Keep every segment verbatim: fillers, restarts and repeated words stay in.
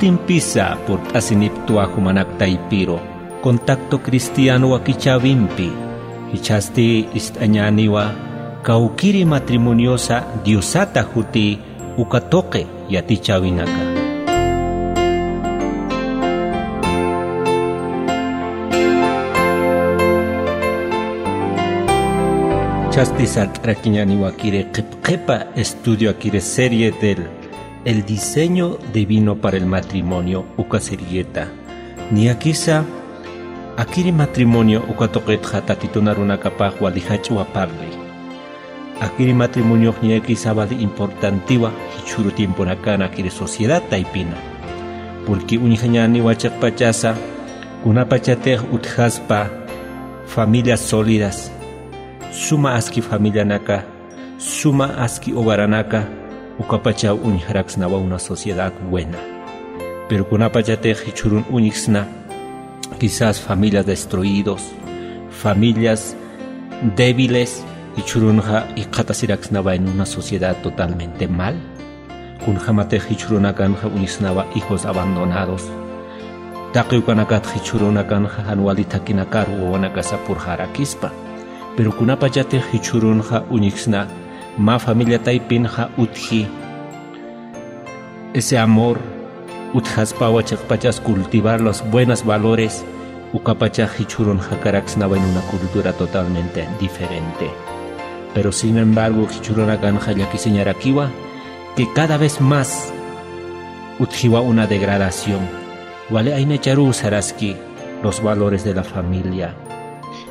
Impisa purt'asiniptwa jumanak taypiru, Contacto Cristiano wakichäwimpi. Jichhasti ist'añäniwa kawkiri matrimoniosa Diosata juti uka tuqi yatichäwinaka. Jichhasti sart'arakiñäniwakiri qhipqhipa estudio akiri serie del El diseño divino para el matrimonio uka serieta. Niyakisa akiri matrimonio uka tuqitxa Tatitun arunakapax wali jach'a parli. Akiri matrimoniox niyakisa wali importantiwa jichhüru tiemponakan akiri sociedad taypina. Porque uñjañäniwa chiqpachasa kunapachatix utjaspa familias sólidas, suma aski familianaka, suma aski hogaranaka, ukapachaw uñjaraksnawa una sociedad buena. Pero kunapachatix jichhürun uñjsna, quizás familias destruidos, familias débiles, jichhürunxa jikxatasiraksnawa en una sociedad totalmente mal. Kunjämatix jichhürunakanxa uñjsnawa hijos abandonados. Taqi ukanakat jichhürunakanxa jan wali thakinakar wawanakasa purxarakispa. Pero kunapachatix jichhürunxa uñjsna mä familia taypinxa utji ese amor, utjaspawa chiqpachas cultivar los buenos valores, ukapachax jichhürun jakaraksnawa en una cultura totalmente diferente. Pero sin embargo, jichhürunakanxa llakisiñarakiwa que cada vez más utjiwa una degradación. Wali aynacharuw saraski los valores de la familia.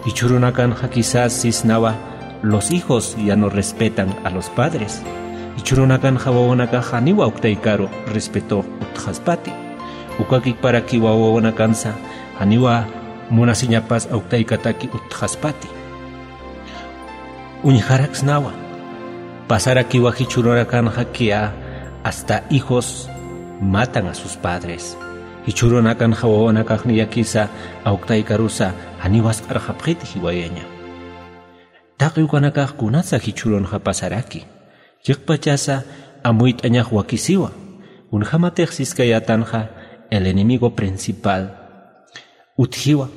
Jichhürunakanxa quizás sisnawa los hijos ya no respetan a los padres. Jichhürunakanxa wawanakax janiw awktaykaru respeto utjaspati. Ukakiparakiwa wawanakansa janiwa munasiñapas awktaykataki utjaspati. Uñjaraksnawa. Pasarakiwa jichhürunakanxa que hasta hijos matan a sus padres. Jichhürunakanxa wawanakax niyakisa awktaykarusa janiw wasq'arxapxiti jiwayaña. Taqi ukanakax kunatsa jichhürunxa pasaraki. Chiqpachasa amuyt'añax wakisiwa. Kunjämatix siskayätanxa el enemigo principal utjiwa,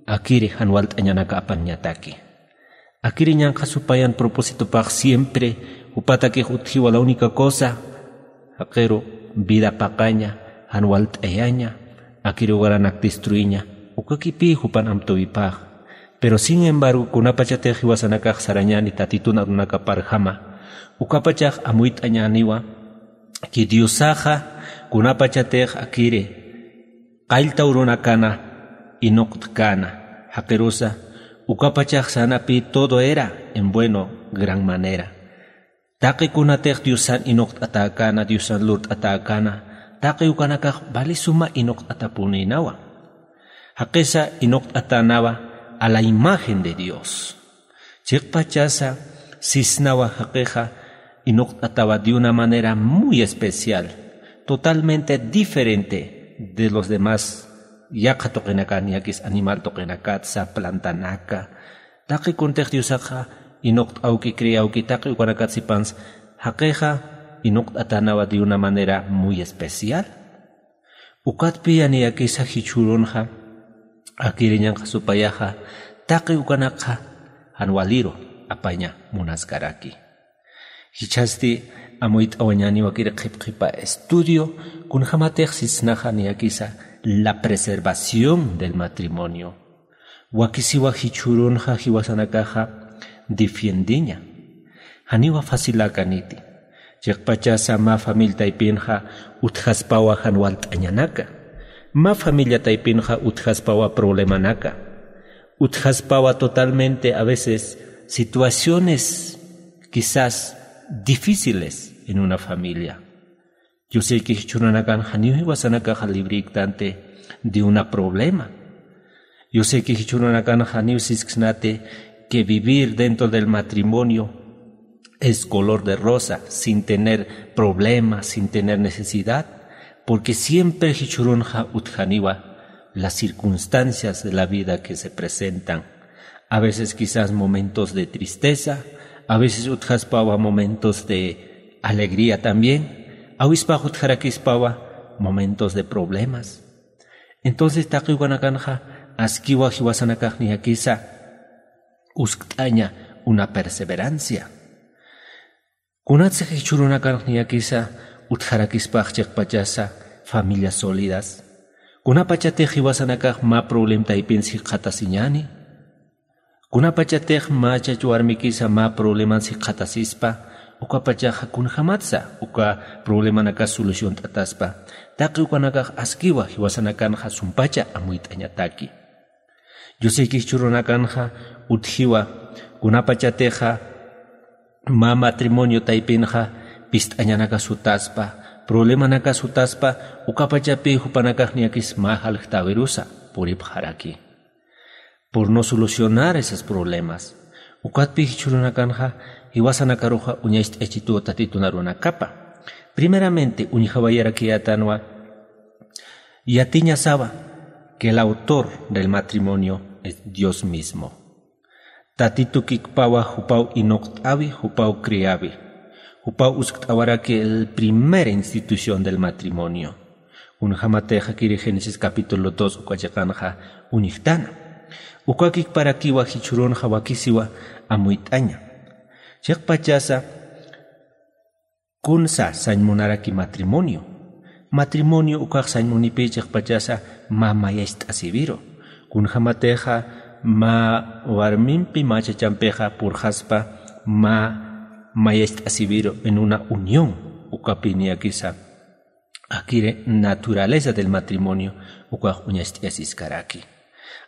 akiri jan walt'añanaka apañataki. Akiri ñanqha supayan propósitopax siempre jupatakix utjiwa la única cosa, jaqiru vida paqaña, jan walt'ayaña, akiri hogaranaka destruiña, ukakipï jupan amtuwipax. Pero sin embargo, kunapachatix jiwasanakax sarañäni Tatitun arunakaparjama, ukapachax amuyt'añäniwa que Diosaxa kunapachatix akiri qallta urunakana inuqt'käna, jaqirusa ukapachax sänapï todo era en bueno, gran manera. Taqi kunatix Diosan inuqt'atäkäna, Diosan lurt'atäkäna, taqi ukanakax wali suma inuqt'atapunïnawa. Jaqisa inuqt'atänawa a la imagen de Dios. Chiqpachasa sisnawa jaqixa inuqt'atawa de una manera muy especial, totalmente diferente de los demás yaqha tuqinakan, niyakis animal tuqinakatsa, plantanaka. Taqi kuntix Diosaxa inuqt'awki, criawki, taqi ukanakat sipansa, jaqixa inuqt'atänawa de una manera muy especial. Ukatpï niyakisa jichhürunxa, akiri ñanqha supayaxa, taqi ukanakxa jan waliru apaña munaskaraki. Jichhasti amuyt'awañäniwakiri qhipqhipa estudio, kunjämatix sisnaxa niyakisa la preservación del matrimonio. Wakisiwa jichhürunxa jiwasanakaxa defiendiña. Janiwa faciläkaniti. Chiqpachasa mä familia taypinxa utjaspawa jan walt'añanaka. Mä familia taypinxa utjaspawa problemanaka. Utjaspawa totalmente a veces situaciones quizás difíciles en una familia. Yo sé que jichhürunakan janiw jiwasanakaxa librïktanti de una problema. Yo sé que jichhürunakan janiw sisksnati que vivir dentro del matrimonio es color de rosa, sin tener problema, sin tener necesidad, porque siempre jichhürunxa utjaniwa las circunstancias de la vida que se presentan. A veces quizás momentos de tristeza, a veces utjaspawa momentos de alegría también. Awispax utjarakispawa momentos de problemas. Entonces taqi ukanakanxa askiwa jiwasanakax niyakisa uskt'aña una perseverancia. Kunatsa jichhürunakanx niyakisa utjarakispax chiqpachasa familias sólidas. Kunapachatix jiwasanakax mä problem taypin jikxatasiñani. Kunapachatix mä chach warmikisa mä probleman jikxatasispa, ukapachaxa kunjamatsa uka problemanakas soluciont'ataspa. Taqi ukanakax askiwa jiwasanakanxa sumpacha amuyt'añataki. Yusiki jichhürunakanxa utjiwa kunapachatixa mä matrimonio taypinxa pist'añanakas jutaspa, problemanakas jutaspa, ukapachapi jupanakax niyakis mä jaljtäwirusa puripxaraki. Por no solucionar esos problemas. Ukatpi jichhürunakanxa jiwasanakaruxa uñacht'ayachituwa Tatitun arunakapa. Primeramente uñjawayarakiyätanwa yatiñasawa que el autor del matrimonio es Dios mismo. Tatitu kikpawa jupaw inuqt'awi, jupaw criawi. Jupaw uskt'awaraki el primera institución del matrimonio. Kunjamatix akiri Génesis capítulo dos uka chiqanxa uñjtana. Uka kikparakiwa jichhürunxa wakisiwa amuyt'aña. Chiqpachasa kunsa sañ munaraki matrimonio. Matrimonio ukax sañ munipï chiqpachasa mä mayacht'asiwiru. Kunjamatixa mä warmimpi mä chachampixa purxaspa mä mayacht'asiwiru en una unión, ukapi niyakisa akiri naturaleza del matrimonio ukax uñacht'ayasiskaraki.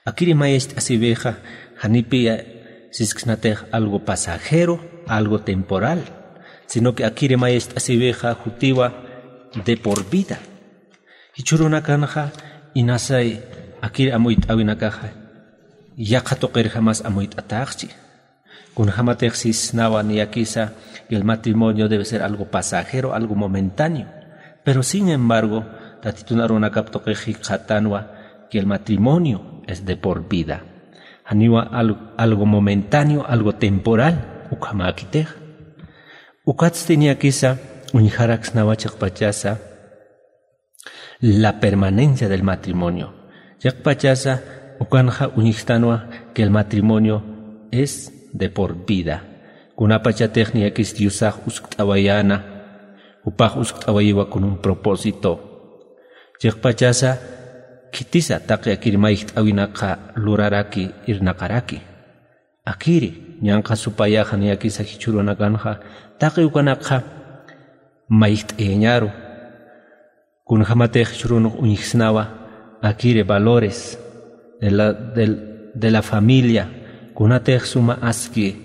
Akiri mayacht'asiwixa janipi sisksnatix algo pasajero, algo temporal, sino que akiri mayacht'asiwixa jutiwa de por vida. Jichhürunakanxa inasay akiri amuyt'äwinakaxa yaqha tuqirjamas amuyt'ataxchi. Kunjamatix sisnawa niyakisa que el matrimonio debe ser algo pasajero, algo momentáneo. Pero sin embargo, Tatitun arunakap tuqix jikxatanwa que el matrimonio es de por vida. Janiwa al-, algo momentáneo, algo temporal, ukhamäkitix. Ukatsti niyakisa uñjaraksnawa chiqpachasa la permanencia del matrimonio. Chiqpachasa ukanxa uñjtanwa que el matrimonio es de por vida. Kunapachatix niyakis Diosax uskt'awayäna, jupax uskt'awayiwa con un propósito. Chiqpachasa khitisa taqi akir mayjt'äwinakxa luraraki, irnaqaraki. Akiri ñanqha supayaxa niyakisa jichhürunakanxa taqi ukanakxa mayjt'ayañaru. Kunjamatix jichhürunx uñjsnawa akiri valores de la, del, de la familia, kunatix suma aski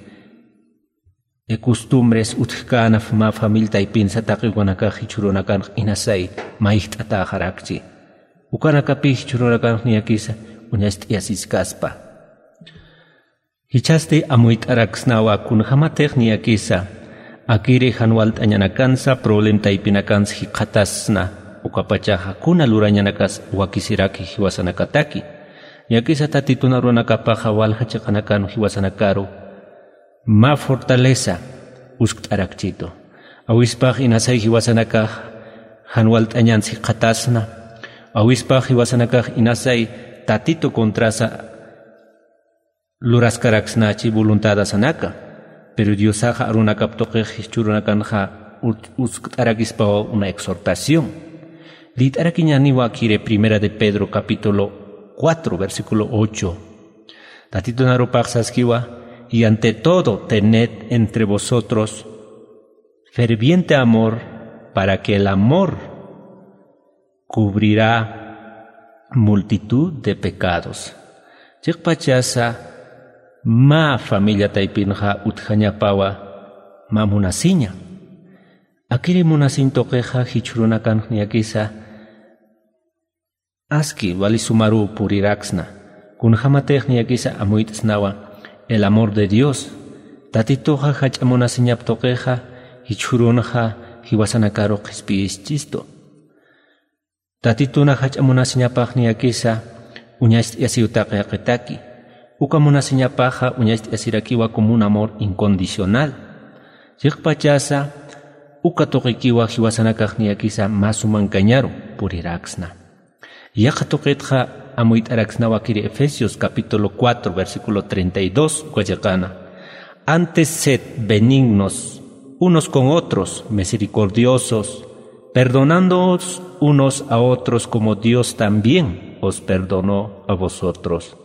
costumbres utjkänap mä familia taypinsa taqi ukanakax jichhürunakanx inasay mayjt'atäxarakchi. Ukanakapï jichhürunakanx niyakisa uñacht'ayasiskaspa. Jichhasti amuyt'araksnawa kunjamatix niyakisa akiri jan walt'añanakansa problem taypinakansa jikxatasna, ukapachaxa kuna lurañanakas wakisiraki jiwasanakataki. Niyakisa Tatitun arunakapaxa walja chiqanakan jiwasanakaru mä fortaleza uskt'arakchitu. Awispax inasay jiwasanakax jan walt'añans jikxatasna, awispax jiwasanakax inasay Tatitu contrasa luraskaraksnachi voluntadasanaka. Pero Diosaxa arunakap tuqix jichhürunakanxa ut-, uskt'arakispawa una exhortación. Liyt'arakiñäniwa akiri Primera de Pedro capítulo cuatro, versículo ocho. Tatitun arupax saskiwa: "Y ante todo, tened entre vosotros ferviente amor, para que el amor cubrirá multitud de pecados". Chiqpachasa mä familia taypinxa utjañapawa mä munasiña. Akiri munasiñ tuqixa jichhürunakanx niyakisa aski wali sumaruw puriraksna. Kunjamatix niyakisa amuyt'snawa el amor de Dios. Tatituxa jach'a munasiñap tuqixa jichhürunxa jiwasanakaru qhispiyischistu. Tatituna jach'a munasiñapax niyakisa uñacht'ayasiw taqi jaqitaki. Uka munasiñapaxa uñacht'ayasirakiwa como un amor incondicional. Chiqpachasa uka tuqikiwa jiwasanakax niyakisa mä sumankañaru puriraksna. Yaqha tuqitxa amuyt'araksnawa akiri Efesios capítulo cuatro, versículo treinta y dos, uka chiqana: Antes sed benignos unos con otros, misericordiosos, perdonándoos unos a otros como Dios también os perdonó a vosotros.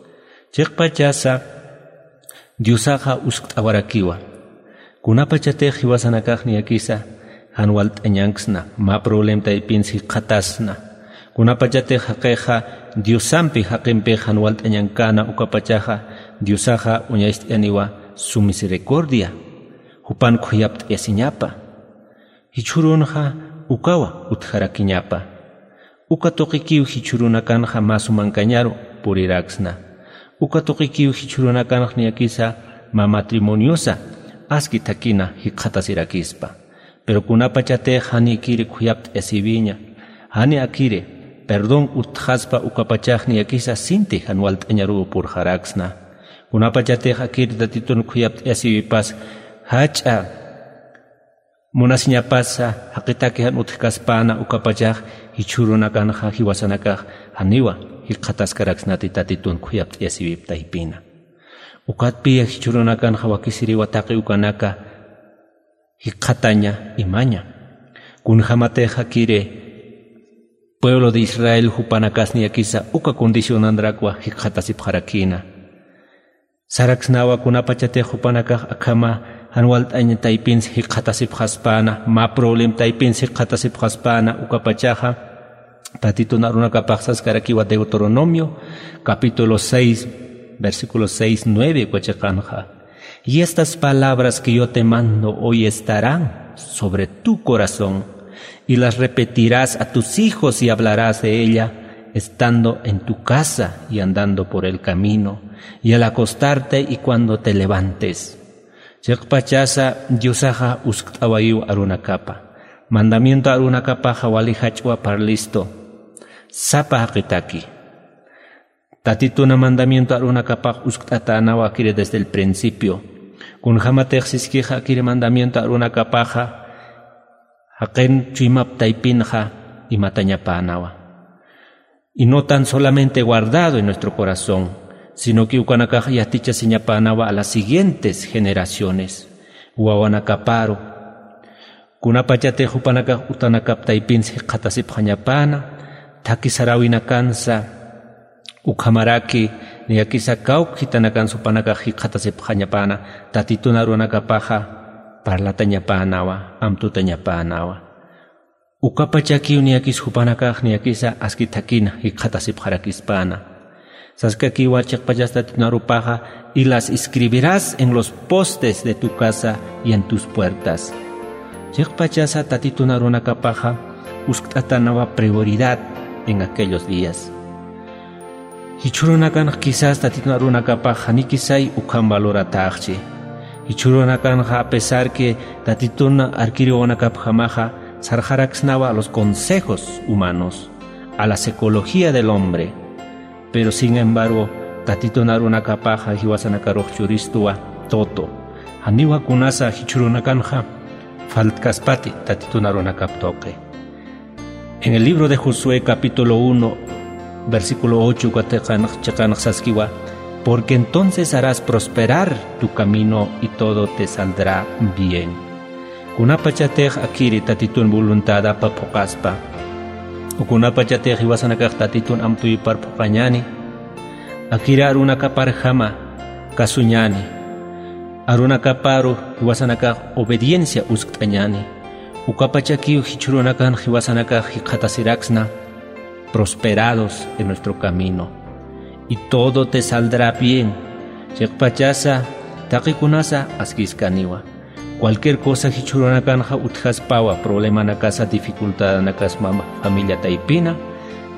Chiqpachasa Diosaxa uskt'awarakiwa. Kunapachatix jiwasanakax niyakisa jan walt'añanksna, mä problemtaypins jikxatasna. Kunapachatix jaqixa Diosampi jaqimpix jan walt'añankana ukapachaxa, Diosaxa uñacht'ayaniwa su misericordia, jupan khuyapt'ayasiñapa. Jichhürunxa ukawa utjarakiñapa. Uka tuqikiw jichhürunakanxa mä sumankañaru puriraksna. Uka tuqikiw jichhürunakanx niyakisa mä matrimoniosa aski thakina jikxatasirakispa. Pero kunapachatix jani akiri khuyapt'ayasiwiña, jani akiri perdón utjaspa ukapachax niyakisa sinti jan walt'añaruw purxaraksna. Kunapachatix akiri Tatitun khuyapt'ayasiwipas jach'a munasiñapasa jaqitaki jan utjkaspäna ukapachax jichhürunakanxa jiwasanakax janiwa jikxataskaraksnati Tatitun khuyapt'ayasiwip taypina. Ukatpiya jichhürunakanxa wakisiriwa taqi ukanaka jikxataña imaña. Kunjämatix akiri pueblo de Israel jupanakas niyakisa uka condicionanrakwa jikxatasipxarakïna. Saraksnawa kunapachatix jupanakax akhama jan walt'añ taypins jikxatasipxaspäna, mä problem taypins jikxatasipxaspäna ukapachaxa, Tatitun arunakapax saskarakiwa Deuteronomio, capítulo seis, versículo seis, nueve, uka chiqanxa: Y estas palabras que yo te mando hoy estarán sobre tu corazón, y las repetirás a tus hijos y hablarás de ella estando en tu casa y andando por el camino, y al acostarte y cuando te levantes. Chiqpachasa Diosaxa uskt'awayiw arunakapa. Mandamiento arunakapaxa wali jach'wa parlistu. Sapa jaqitaki. Tatituna mandamiento arunakapax uskt'atänawa akiri desde el principio. Kunjämatix siskixa akiri mandamiento arunakapaxa, jaqin chuymap taypinxa imatañapänawa. Y no tan solamente guardado en nuestro corazón, sino que ukanakax yatichasiñapänawa a las siguientes generaciones. Wawanakaparu. Kunapachatix jupanakax utanakap taypins jikxatasipxañapäna, thakhi saräwinakansa, ukhamaraki niyakisa kawkhitanakansa jupanakax jikxatasipxañapäna, Tatitun arunakapaxa parlatañapänawa, amtutañapänawa. Ukapachakiw niyakis jupanakax niyakisa aski thakina jikxatasipxarakispäna. Saskakiwa chiqpachas Tatitun arupaxa: Y las escribirás en los postes de tu casa y en tus puertas. Chiqpachasa Tatitun arunakapaxa uskt'atänawa prioridad en aquellos días. Jichhürunakanx quizás Tatitun arunakapax janikisay ukham valoratäxchi. Jichhürunakanxa a pesar que Tatitun arkiri wawanakapjamaxa sarxaraksnawa a los consejos humanos, a la psicología del hombre. Pero sin embargo, Tatitun arunakapaxa jiwasanakarux churistuwa todo. Janiwa kunasa jichhürunakanxa faltkaspati Tatitun arunakap tuqi. En el libro de Josué, capítulo uno, versículo ocho, uka chiqanx saskiwa: Porque entonces harás prosperar tu camino y todo te saldrá bien. Kunapachatix akiri Tatitun voluntadapa phuqaspa, o kunapachatix jiwasanakax Tatitun amtuyupar phuqañäni, akiri arunakaparjama kasuñäni, arunakaparu jiwasanakax obediencia uskt'añäni, ukapachakiw jichhürunakan jiwasanakax jikxatasiraksna, prosperados en nuestro camino. Y todo te saldrá bien. Chiqpachasa, taqikunasa askiskaniwa. Cualquier cosa jichhürunakanxa utjaspawa, problemanakasa, dificultadanakasmama familia taypina,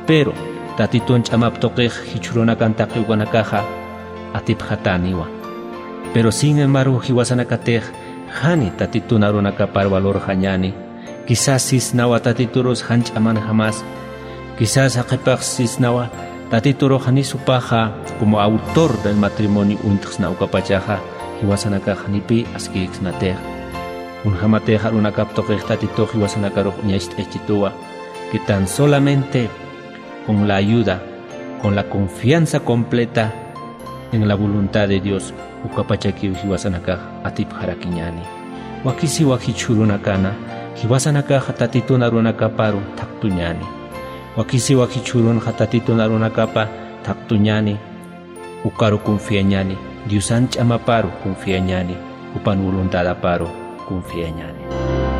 pero Tatitun ch'amap tuqix jichhürunakan taqi ukanakaxa atipxatäniwa. Pero sin embargo, jiwasanakatix jani Tatitun arunakapar valorxañäni. Quizás sisnawa Tatiturus jan ch'amanjamas. Quizás jaqipix sisnawa Tatiturux janis jupaxa como autor del matrimonio uñtxsna ukapachaxa, jiwasanakax janipï askïksnatix. Kunjämatix arunakap tuqix Tatitux jiwasanakarux uñacht'aychituwa. que tan solamente con la ayuda, con la confianza completa en la voluntad de Dios, ukapachakiw jiwasanakax atipxarakiñäni. Wakisiwa jichhürunakana jiwasanakaxa Tatitun arunakaparu thaqtuñäni. Wakisiwa jichhürunxa Tatitun arunakapa thaqtuñäni. Ukaru confiañäni, Diosan ch'amaparu confiañäni, jupan voluntadaparu confiañäni.